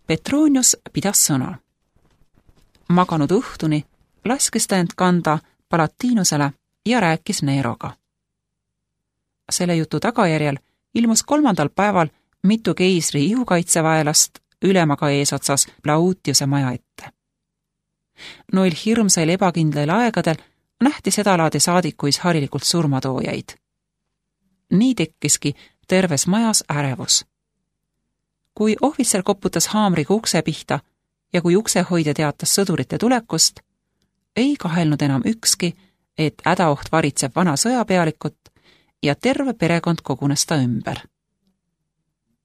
Petronius pidas sõna. Maganud õhtuni laskis ta end kanda Palatinusele ja rääkis Neroga. Selle jutu tagajärjel ilmus 3. päeval mitu keisri ihukaitseväelast ülemaga eesotsas Plautiuse maja ette. Noil hirmsail ebakindlail aegadel nähti sedalaadi saadikuis harilikult surmatoojaid. Nii tekkiski terves majas ärevus. Kui ohvitser koputas haamriga ukse pihta ja kui uksehoidja teatas sõdurite tulekust, ei kahelnud enam ükski, et hädaoht varitseb vana sõjapealikut ja terve perekond kogunes ta ümber.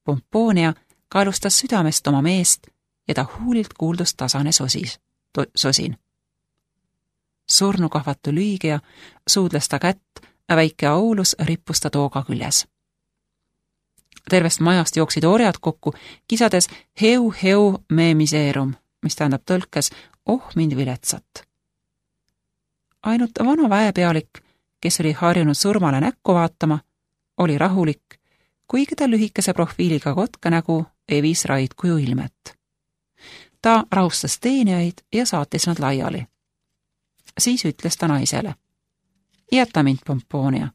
Pomponia kaelustas südamest oma meest ja ta huulilt kuuldus tasane sosin. Surnukahvatu Lüügia suudles ta kätt, väike Aulus rippus ta tooga küljes. Tervest majast jooksid orjad kokku, kisades heu me miseerum, mis tähendab tõlkes mind viletsat. Ainult vana väepealik, kes oli harjunud surmale näkku vaatama, oli rahulik, kuigi ta lühikese profiiliga kotkanägu evis raidkuju ilmet. Ta rahustas teenijaid ja saatis nad laiali. Siis ütles ta naisele: jäta mind, Pomponia.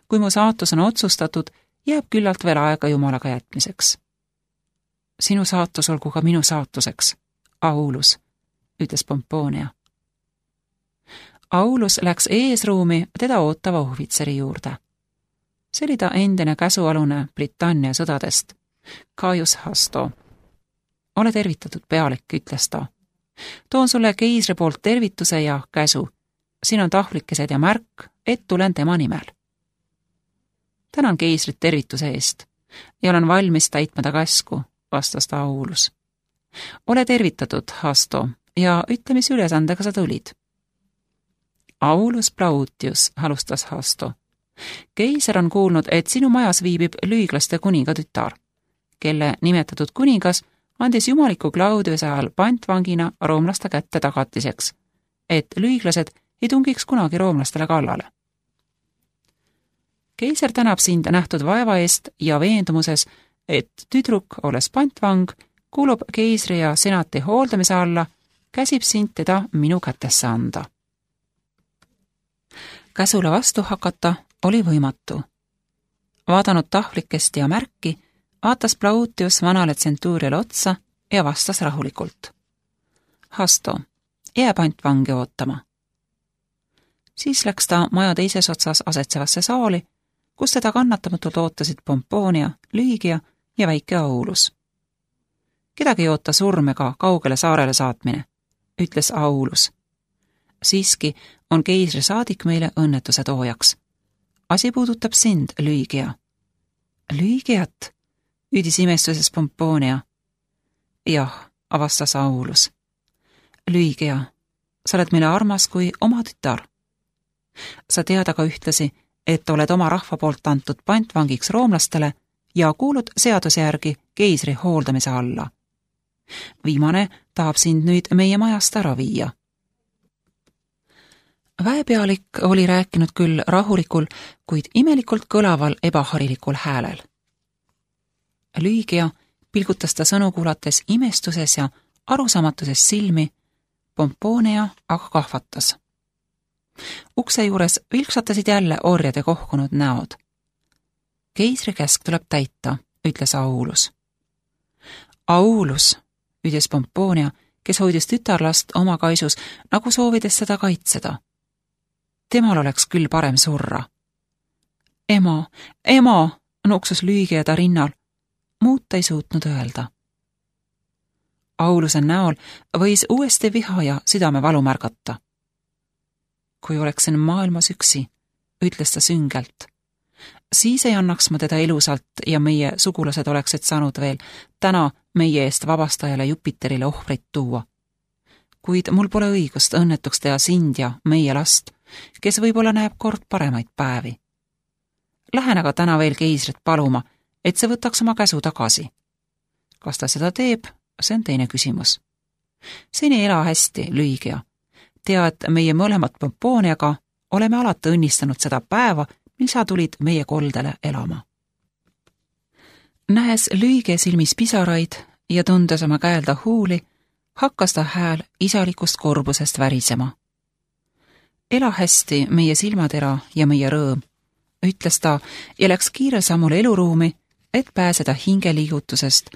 Kui mu saatus on otsustatud, jääb küllalt veel aega Jumalaga jätmiseks. Sinu saatus olgu ka minu saatuseks, Aulus, ütles Pomponia. Aulus läks eesruumi teda ootava ohvitseri juurde. See oli ta endine käsualune Britannia sõdadest, Caius Hasto. Ole tervitatud, pealik, ütles ta. Toon sulle keisri poolt tervituse ja käsu. Siin on tahvlikesed ja märk, et tulen tema nimel. Tänan keisrit tervituse eest ja olen valmis täitma ta käsku, vastas ta Aulus. Ole tervitatud, Hasto, ja ütle, mis ülesandega sa tulid. Aulus Plautius, alustas Hasto. Keiser on kuulnud, et sinu majas viibib lüiglaste kuninga tütar, kelle nimetatud kuningas andis jumaliku Claudiuse ajal pantvangina roomlaste kätte tagatiseks, et lüiglased ei tungiks kunagi roomlastele kallale. Keiser tänab sind nähtud vaeva eest ja veendumuses, et tüdruk, olles pantvang, kuulub keisri ja senati hooldamise alla, käsib sind teda minu kätesse anda. Käsule vastu hakata oli võimatu. Vaadanud tahvlikest ja märki, vaatas Plautius vanale tsentuuriale otsa ja vastas rahulikult. Hasto, jää pantvangi ootama. Siis läks ta maja teises otsas asetsevasse saali, kus teda kannatamatult ootasid Pomponia, Lüügia ja väike Aulus. Kedagi ei oota surm ega kaugele saarele saatmine, ütles Aulus. Siiski on keisri saadik meile õnnetuse toojaks. Asi puudutab sind, Lüügia. Lüügiat, üüdis imestuses Pomponia. Jah, avastas Aulus. Lüügia, sa oled meile armas kui oma tütar. Sa tead aga ühtlasi, et oled oma rahva poolt antud pantvangiks roomlastele ja kuulud seaduse järgi keisri hooldamise alla. Viimane tahab sind nüüd meie majast ära viia. Väepealik oli rääkinud küll rahulikul, kuid imelikult kõlaval ebaharilikul häälel. Lüügia pilgutas ta sõnu kuulates imestuses ja arusaamatuses silmi, Pomponia aga kahvatas. Ukse juures vilksatasid jälle orjade kohkunud näod. Keisri käsk tuleb täita, ütles Aulus. Aulus, ütles Pomponia, kes hoidis tütarlast oma kaisus, nagu soovides seda kaitseda. Temal oleks küll parem surra. Ema, nuksus Lüügia ta rinnal. Muud ta ei suutnud öelda. Auluse näol võis uuesti viha ja südamevalu märgata. Kui oleksin maailmas üksi, ütles ta süngelt. Siis ei annaks ma teda elusalt ja meie sugulased oleksid saanud veel täna meie eest vabastajale Jupiterile ohvrit tuua. Kuid mul pole õigust õnnetuks teha sind ja meie last, kes võib-olla näeb kord paremaid päevi. Lähen aga täna veel keisrit paluma, et see võtaks oma käsu tagasi. Kas ta seda teeb, see on teine küsimus. Seni ela hästi, Lüügia. Tea, et meie mõlemad Pomponiaga oleme alati õnnistanud seda päeva, mil sa tulid meie koldele elama. Nähes Lüügia silmis pisaraid, ja tundes oma käelda huuli, hakkas ta hääl isalikust korbusest värisema. Ela hästi, meie silmatera ja meie rõõm, ütles ta ja läks kiirel sammul eluruumi, et pääseda hingeliigutusest,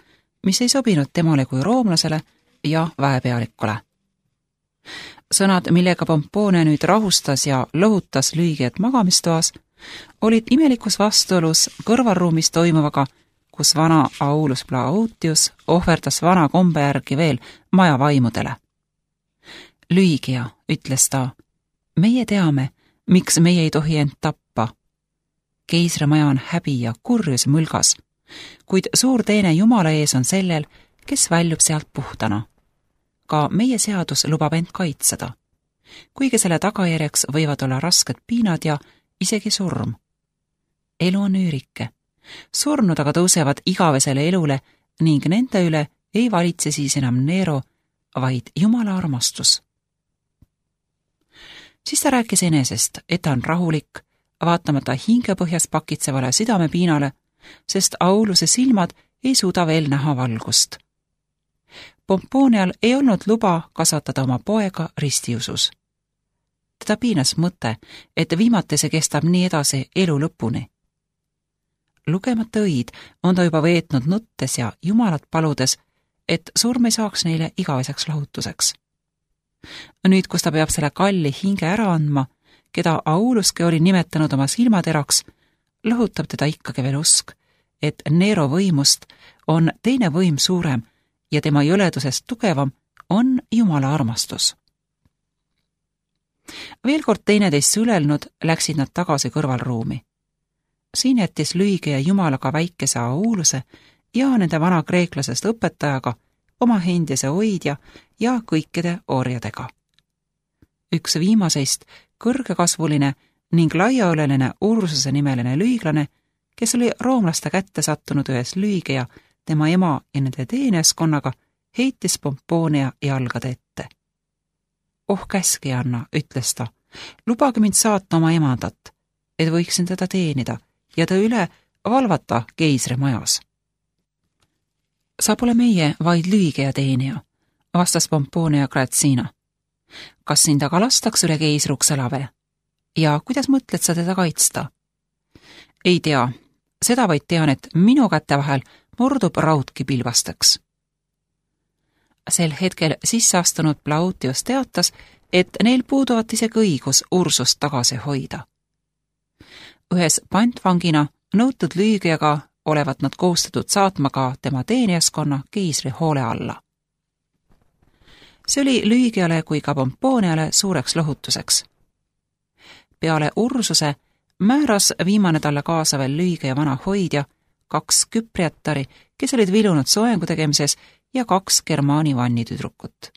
mis ei sobinud temale kui roomlasele ja väepealikule. Sõnad, millega Pomponia nüüd rahustas ja lohutas lüügijat magamistoas, olid imelikus vastuolus kõrvalruumis toimuvaga, kus vana Aulus Plautius ohverdas vana kombe järgi veel maja vaimudele. Lüügija, ütles ta, meie teame, miks meie ei tohi end tappa. Keisrimaja on häbi ja kurjus mõlgas, kuid suur teene Jumala ees on sellel, kes väljub sealt puhtana. Ka meie seadus lubab end kaitseda, kuigi selle tagajärjeks võivad olla rasked piinad ja isegi surm. Elu on üürike. Surnud aga tõusevad igavesele elule ning nende üle ei valitse siis enam Nero, vaid Jumala armastus. Siis ta rääkis enesest, et ta on rahulik, vaatamata hingepõhjas pakitsevale südamepiinale, sest Auluse silmad ei suuda veel näha valgust. Pomponial ei olnud luba kasvatada oma poega ristiusus. Teda piinas mõte, et viimati see kestab nii edasi elu lõpuni. Lugemata õid on ta juba veetnud nuttes ja Jumalat paludes, et surm ei saaks neile igaveseks lahutuseks. Nüüd, kus ta peab selle kalli hinge ära andma, keda Auluski oli nimetanud oma silmateraks, lõhutab teda ikkagi veel usk, et Nero võimust on teine võim suurem ja tema jõledusest tugevam on Jumala armastus. Veel kord teineteist sülelnud läksid nad tagasi kõrvalruumi. Siin jättis lüügija Jumalaga väikese Auluse ja nende vana kreeklasest õpetajaga, oma endise hoidja ja kõikide orjadega. Üks viimaseist kõrgekasvuline ning laiaõleline Ursuse nimeline lüüglane, kes oli roomlaste kätte sattunud ühes lüügija, tema ema ja nende teeneskonnaga, heitis Pomponia jalgade ette. Oh, käske anna, ütles ta, lubage mind saata oma emandat, et võiksin teda teenida ja ta üle valvata keisrimajas. Sa pole meie, vaid lüügija teenija, vastas Pomponia Grazina. Kas sind aga lastaks üle keisruks elave? Ja kuidas mõtled sa teda kaitsta? Ei tea, seda vaid tean, et minu käte vahel murdub raudki pilvasteks. Sel hetkel sisseastunud Plautius teatas, et neil puuduvat isegi õigus Ursust tagasi hoida. Ühes pantvangina nõutud lüügijaga olevat nad kohustatud saatma ka tema teenijaskonna keisri hoole alla. See oli lüügijale kui ka Pomponiale suureks lohutuseks. Peale Ursuse määras viimane talle kaasa veel lüügija vana hoidja, 2 küpriatari, kes olid vilunud soengu tegemises ja 2 Germaani vannitüdrukut.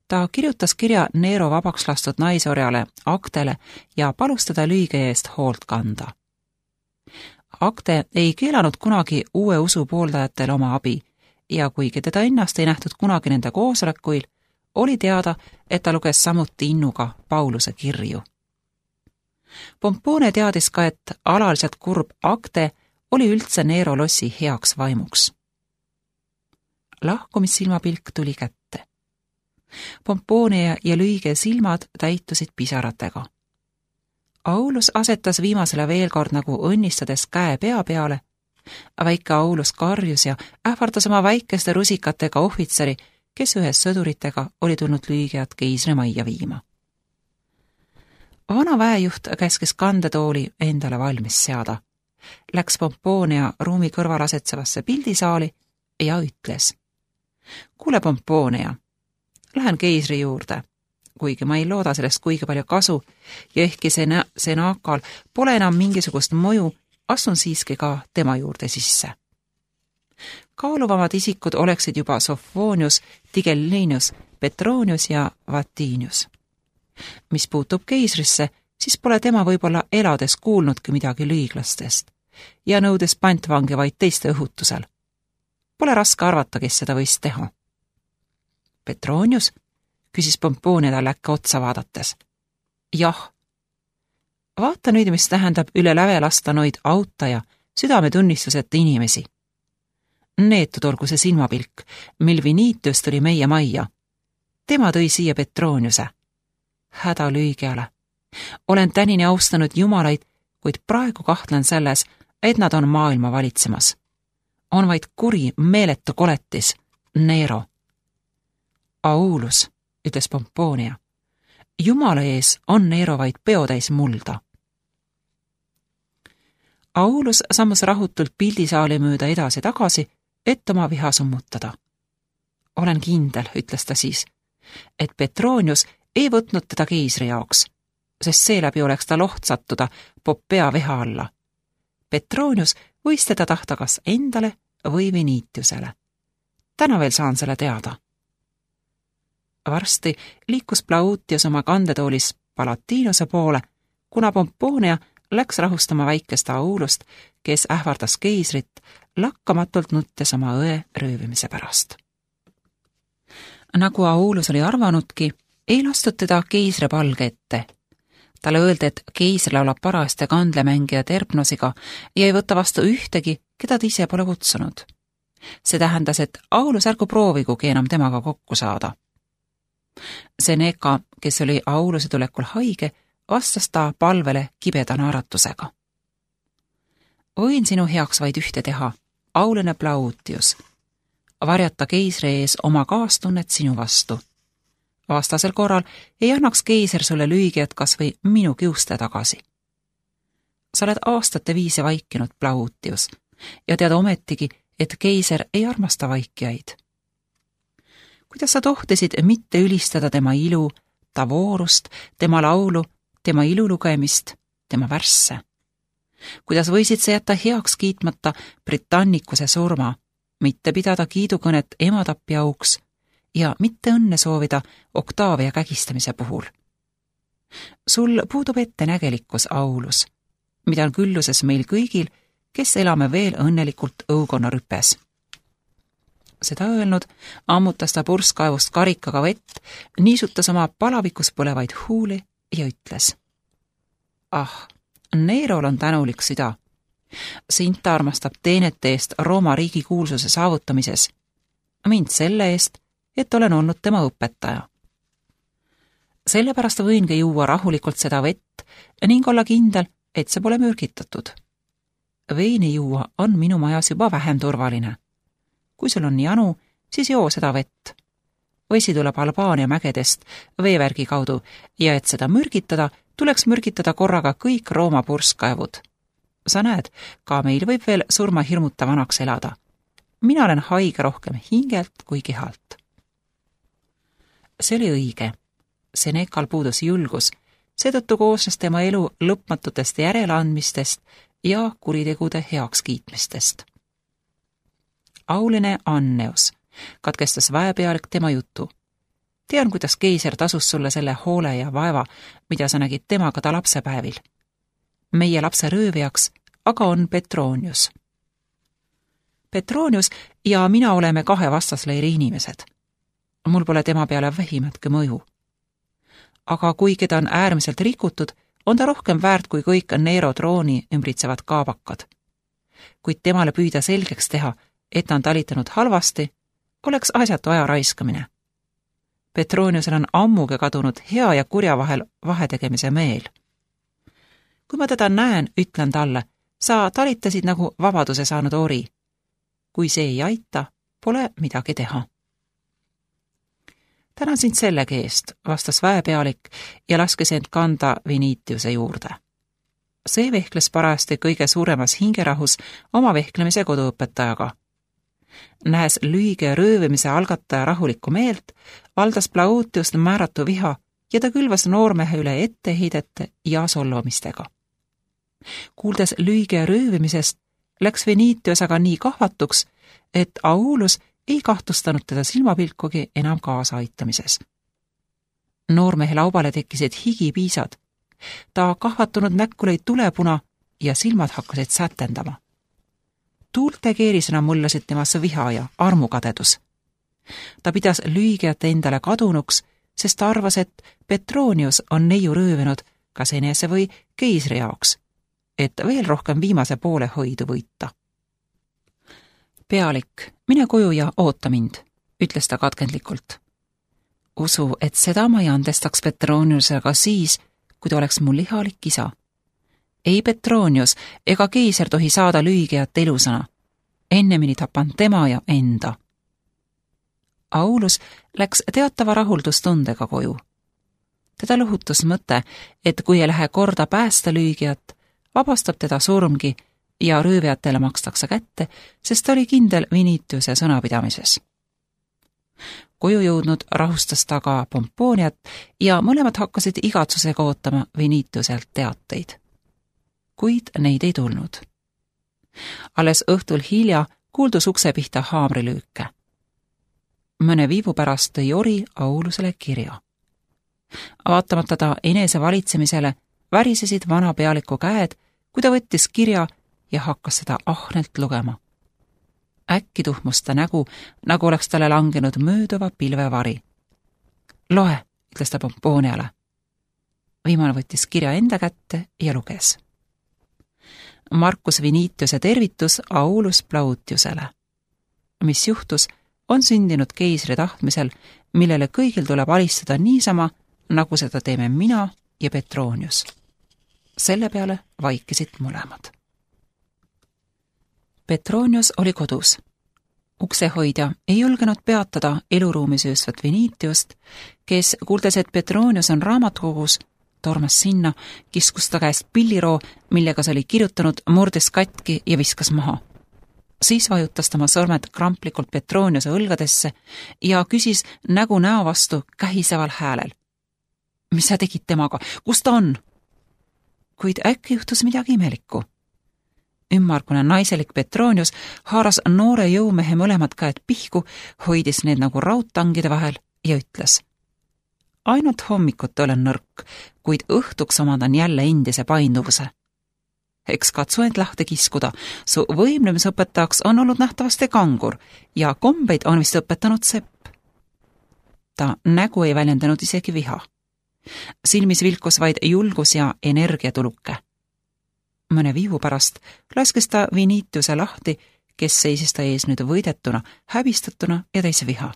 Ta kirjutas kirja Nero vabaks lastud naisorjale Actele ja palus teda lüügija eest hoolt kanda. Acte ei keelanud kunagi uue usu pooldajatel oma abi ja kuigi teda ennast ei nähtud kunagi nende koosolekuil, oli teada, et ta luges samuti innuga Pauluse kirju. Pompone teadis ka, et alaliselt kurb Acte oli üldse Nero lossi heaks vaimuks. Lahkumissilmapilk tuli kätte. Pompone ja lüüge silmad täitusid pisaratega. Aulus asetas viimasele veel kord nagu õnnistades käe pea peale. Väike Aulus karjus ja ähvardas oma väikeste rusikatega ohvitseri, kes ühes sõduritega oli tulnud lüügijat keisrimajja viima. Vana väejuht käskis kandetooli endale valmis seada. Läks Pomponia ruumi kõrval asetsevasse pildisaali ja ütles. Kuule, Pomponia, lähen keisri juurde, kuigi ma ei looda sellest kuigi palju kasu ja ehkki senakal pole enam mingisugust mõju, astun siiski ka tema juurde sisse. Kaaluvamad isikud oleksid juba Sophonius, Tigellinius, Petronius ja Vatinius. Mis puutub keisrisse, siis pole tema võib-olla elades kuulnudki midagi lüüglastest ja nõudes pantvangi vaid teiste õhutusel. Pole raske arvata, kes seda võis teha. Petronius, küsis Pomponia talle äkki otsa vaadates. Jah. Vaata nüüd, mis tähendab üle läve lasta noid auta ja südametunnistuseta inimesi. Neetud olgu see silmapilk, mil Vinitius tuli meie majja. Tema tõi siia Petroniuse. Häda lüügiale. Olen tänini austanud jumalaid, kuid praegu kahtlen selles, et nad on maailma valitsemas. On vaid kuri, meeletu koletis, Nero. Aulus, ütles Pomponia. Jumala ees on Nero vaid peotäis mulda. Aulus sammus rahutult pildisaali mööda edasi-tagasi, et oma viha summutada. Olen kindel, ütles ta siis, et Petronius ei võtnud teda keisri jaoks, sest seeläbi oleks ta loht sattuda Poppea viha alla. Petronius võis teda tahta kas endale või Vinitiusele. Täna veel saan selle teada. Varsti liikus Plautius oma kandetoolis Palatinuse poole, kuna Pomponia läks rahustama väikest Aulust, kes ähvardas keisrit, lakkamatult nuttes oma õe röövimise pärast. Nagu Aulus oli arvanudki, ei lastud teda keisri palge ette. Talle öeldi, et keisri laulab paraste kandlemängija Terpnosiga ja ei võta vastu ühtegi, keda ta ise pole kutsunud. See tähendas, et Aulus ärgu proovigugi enam temaga kokku saada. Seneca, kes oli Auluse tulekul haige, vastas ta palvele kibeda naeratusega. Võin sinu heaks vaid ühte teha, auline Plautius. Varjata keisri ees oma kaastunnet sinu vastu. Vastasel korral ei annaks keiser sulle lüügijat kas või minu kiuste tagasi. Sa oled aastate viisi vaikinud, Plautius, ja tead ometigi, et keiser ei armasta vaikijaid. Kuidas sa tohtisid mitte ülistada tema ilu, ta voorust, tema laulu, tema ilulugemist, tema värsse? Kuidas võisid sa jätta heaks kiitmata Britannicuse surma, mitte pidada kiidukõnet ematapi auks ja mitte õnne soovida Octavia kägistamise puhul? Sul puudub ettenägelikkus, Aulus, mida on külluses meil kõigil, kes elame veel õnnelikult õukonna rüpes. Seda öelnud, ammutas ta purskkaevust karikaga vett, niisutas oma palavikus põlevaid huuli ja ütles. Ah, Nerol on tänulik süda. Sind ta armastab teenete eest Rooma riigi kuulsuse saavutamises. Mind selle eest, et olen olnud tema õpetaja. Sellepärast võingi juua rahulikult seda vett ning olla kindel, et see pole mürgitatud. Veini juua on minu majas juba vähem turvaline. Kui sul on janu, siis joo seda vett. Vesi tuleb Albaania mägedest veevärgi kaudu ja et seda mürgitada, tuleks mürgitada korraga kõik Rooma purskkaevud. Sa näed, ka meil võib veel surma hirmuta vanaks elada. Mina olen haige rohkem hingelt kui kehalt. See oli õige. Senekal puudus julgus, seetõttu koosnes tema elu lõpmatutest järeleandmistest ja kuritegude heakskiitmistest. Auline Anneus, katkestas väepealik tema jutu. Tean, kuidas keiser tasus sulle selle hoole ja vaeva, mida sa nägid temaga ta lapsepäevil. Meie lapse röövijaks aga on Petronius. Petronius ja mina oleme kahe vastasleiri inimesed. Mul pole tema peale vähimatki mõju. Aga kui keda on äärmiselt rikutud, on ta rohkem väärt kui kõik Nero trooni ümbritsevad kaabakad. Kuid temale püüda selgeks teha, et ta on talitanud halvasti, oleks asjatu aja raiskamine. Petroniusel on ammugi kadunud hea ja kurja vahel vahetegemise meel. Kui ma teda näen, ütlen talle, sa talitasid nagu vabaduse saanud ori. Kui see ei aita, pole midagi teha. Tänan sind sellegi eest, vastas väepealik ja laskes end kanda Vinitiuse juurde. See vehkles parajasti kõige suuremas hingerahus oma vehklemise koduõpetajaga. Nähes lüüge röövimise algataja rahulikku meelt, valdas Plautiust määratu viha ja ta külvas noormehe üle etteheidete ja solvamistega. Kuuldes lüüge röövimisest, läks Vinitius aga nii kahvatuks, et Aulus ei kahtlustanud teda silmapilkugi enam kaasaaitamises. Noormehe laubale tekkisid higipiisad. Ta kahvatunud näkku lõi tulepuna ja silmad hakkasid sätendama. Tuulte keerisena mullasid temasse viha ja armukadedus. Ta pidas lüügijat endale kadunuks, sest ta arvas, et Petronius on neiu röövinud kas enese või keisri jaoks, et veel rohkem viimase poole hoidu võita. Pealik, mine koju ja oota mind, ütles ta katkendlikult. Usu, et seda ma ei andestaks Petroniusele ka siis, kui ta oleks mul lihalik isa. Ei Petronius ega keiser tohi saada lüügijat elusana. Ennemini tapan tema ja enda. Aulus läks teatava rahuldustundega koju. Teda lõhutus mõte, et kui ei lähe korda päästa lüügijat, vabastab teda surmgi ja röövijatele makstakse kätte, sest ta oli kindel Vinitiuse sõnapidamises. Koju jõudnud rahustas ta ka Pomponiat ja mõlemad hakkasid igatsusega ootama Vinitiuselt teateid. Kuid neid ei tulnud. Alles õhtul hilja kuuldus ukse pihta haamrilüüke. Mõne viivu pärast tõi Ori Aulusele kirja. Vaatamata ta enese valitsemisele värisesid vana pealiku käed, kui ta võttis kirja ja hakkas seda ahnelt lugema. Äkki tuhmus ta nägu, nagu oleks talle langenud mööduva pilvevari. Loe, ütles ta Pomponiale. Viimane võttis kirja enda kätte ja luges. Marcus Vinitiuse tervitus Aulus Plautiusele. Mis juhtus, on sündinud keisri tahtmisel, millele kõigil tuleb alistada niisama, nagu seda teeme mina ja Petronius. Selle peale vaikisid mõlemad. Petronius oli kodus. Uksehoidja ei julgenud peatada eluruumi söösvat Vinitiust, kes, kuuldes, et Petronius on raamatukogus, tormas sinna, kiskus ta käest pilliroo, millega see oli kirjutanud, murdes katki ja viskas maha. Siis vajutas tema sõrmed kramplikult Petroniuse õlgadesse ja küsis nägu näo vastu kähiseval häälel. Mis sa tegid temaga? Kus ta on? Kuid äkki juhtus midagi imelikku. Ümmargune naiselik Petronius haaras noore jõumehe mõlemad käed pihku, hoidis need nagu raudtangide vahel ja ütles. Ainult hommikut olen nõrk, kuid õhtuks omandan jälle endise painduvuse. Eks katsu end lahti kiskuda, su võimlemisõpetajaks on olnud nähtavasti kangur ja kombeid on vist õpetanud sepp. Ta nägu ei väljendanud isegi viha. Silmis vilkus vaid julgus ja energiatuluke. Mõne viivu pärast laskes ta Vinitiuse lahti, kes seisis ta ees nüüd võidetuna, häbistatuna ja täis viha.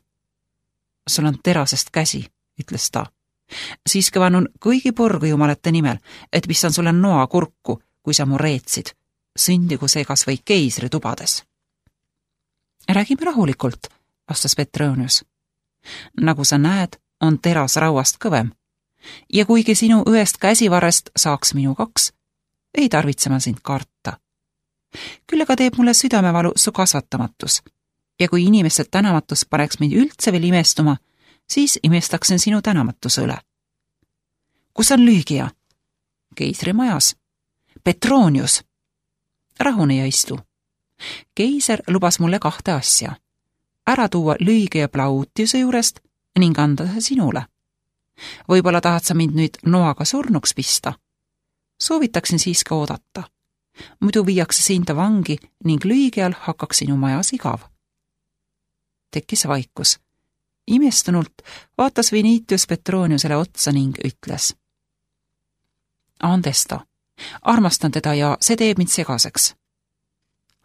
Sul on terasest käsi, ütles ta. Siiski vannun kõigi porgu jumalate nimel, et pistan sulle noa kurku, kui sa mu reetsid, sündigu see kas või keisri tubades. Räägime rahulikult, vastas Petronius. Nagu sa näed, on teras rauast kõvem. Ja kuigi sinu ühest käsivarrest saaks minu 2, ei tarvitse ma sind karta. Küll aga teeb mulle südamevalu su kasvatamatus. Ja kui inimeste tänamatus paneks mind üldse veel imestuma, siis imestaksin sinu tänamatuse üle. Kus on lüügija? Keisri majas. Petronius. Rahune ja istu. Keiser lubas mulle 2 asja. Ära tuua lüügija Plautiuse juurest ning anda see sinule. Võib-olla tahad sa mind nüüd noaga surnuks pista? Soovitaksin siiski oodata. Muidu viiakse sind vangi ning lüügijal hakkaks sinu majas igav. Tekkis vaikus. Imestunult vaatas Vinitius Petroniusele otsa ning ütles. Andesta, armastan teda ja see teeb mind segaseks.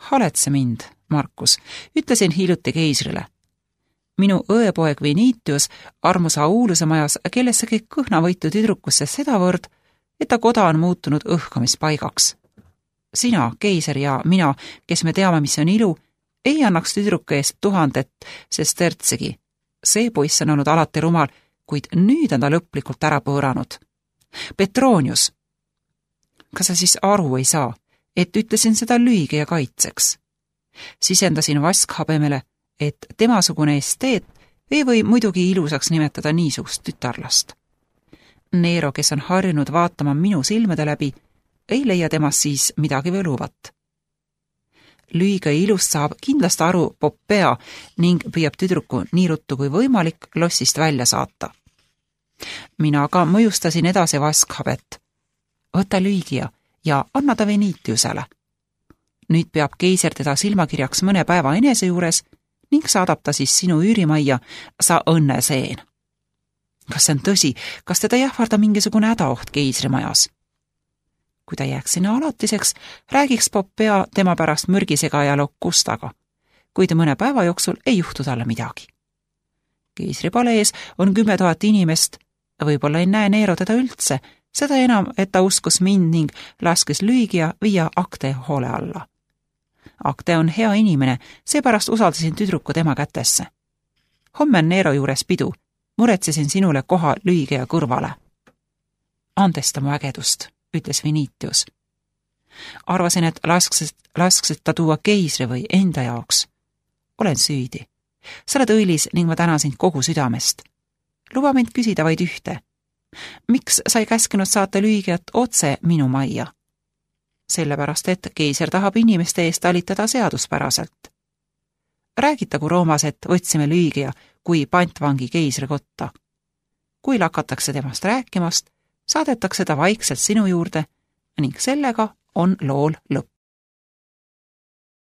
Haletse mind, Marcus, ütlesin hiljuti keisrile. Minu õepoeg Vinitius armus Auluse majas kellessegi kõhnavõitu tüdrukusse sedavõrd, et ta koda on muutunud õhkamispaigaks. Sina, keiser ja mina, kes me teame, mis on ilu, ei annaks tüdruku eest 1000 sestertsegi. See poiss on olnud alati rumal, kuid nüüd on ta lõplikult ära pööranud. Petronius, kas sa siis aru ei saa, et ütlesin seda lüügija kaitseks? Sisendasin vaskhabemele, et temasugune esteet ei või muidugi ilusaks nimetada niisugust tütarlast. Nero, kes on harjunud vaatama minu silmade läbi, ei leia temast siis midagi võluvat. Lüügija ilust saab kindlasti aru Poppea ning püüab tüdruku nii ruttu kui võimalik lossist välja saata. Mina aga mõjustasin edasi vaskhabet. Võta lüügija ja anna ta Vinitiusele. Nüüd peab keiser teda silmakirjaks mõne päeva enese juures ning saadab ta siis sinu üürimajja, sa õnneseen. Kas see on tõsi? Kas teda jähvarda mingisugune hädaoht keisrimajas? Kui ta jääks sinna alatiseks, räägiks Poppea tema pärast mürgisegaja Locustaga. kuid mõne päeva jooksul ei juhtu talle midagi. Keisri palees on 10 000 inimest, võib-olla ei näe Nero teda üldse, seda enam, et ta uskus mind ning laskes Lüügia viia Akte hoole alla. Akte on hea inimene, seepärast usaldasin tüdruku tema kätesse. Homme on Nero juures pidu, muretsesin sinule koha Lüügia kõrvale. Andesta mu ägedust, ütles Vinitius. Arvasin, et lasksid ta tuua keisri või enda jaoks. Olen süüdi. Sa oled õilis ning ma tänan sind kogu südamest. Luba mind küsida vaid ühte. Miks sa ei käskinud saata Lüügiat otse minu majja? Sellepärast, et keiser tahab inimeste eest talitada seaduspäraselt. Räägitagu Roomas, et võtsime Lüügia kui pantvangi keisri kotta. Kui lakatakse temast rääkimast, saadetakse ta vaikselt sinu juurde ning sellega on lool lõpp.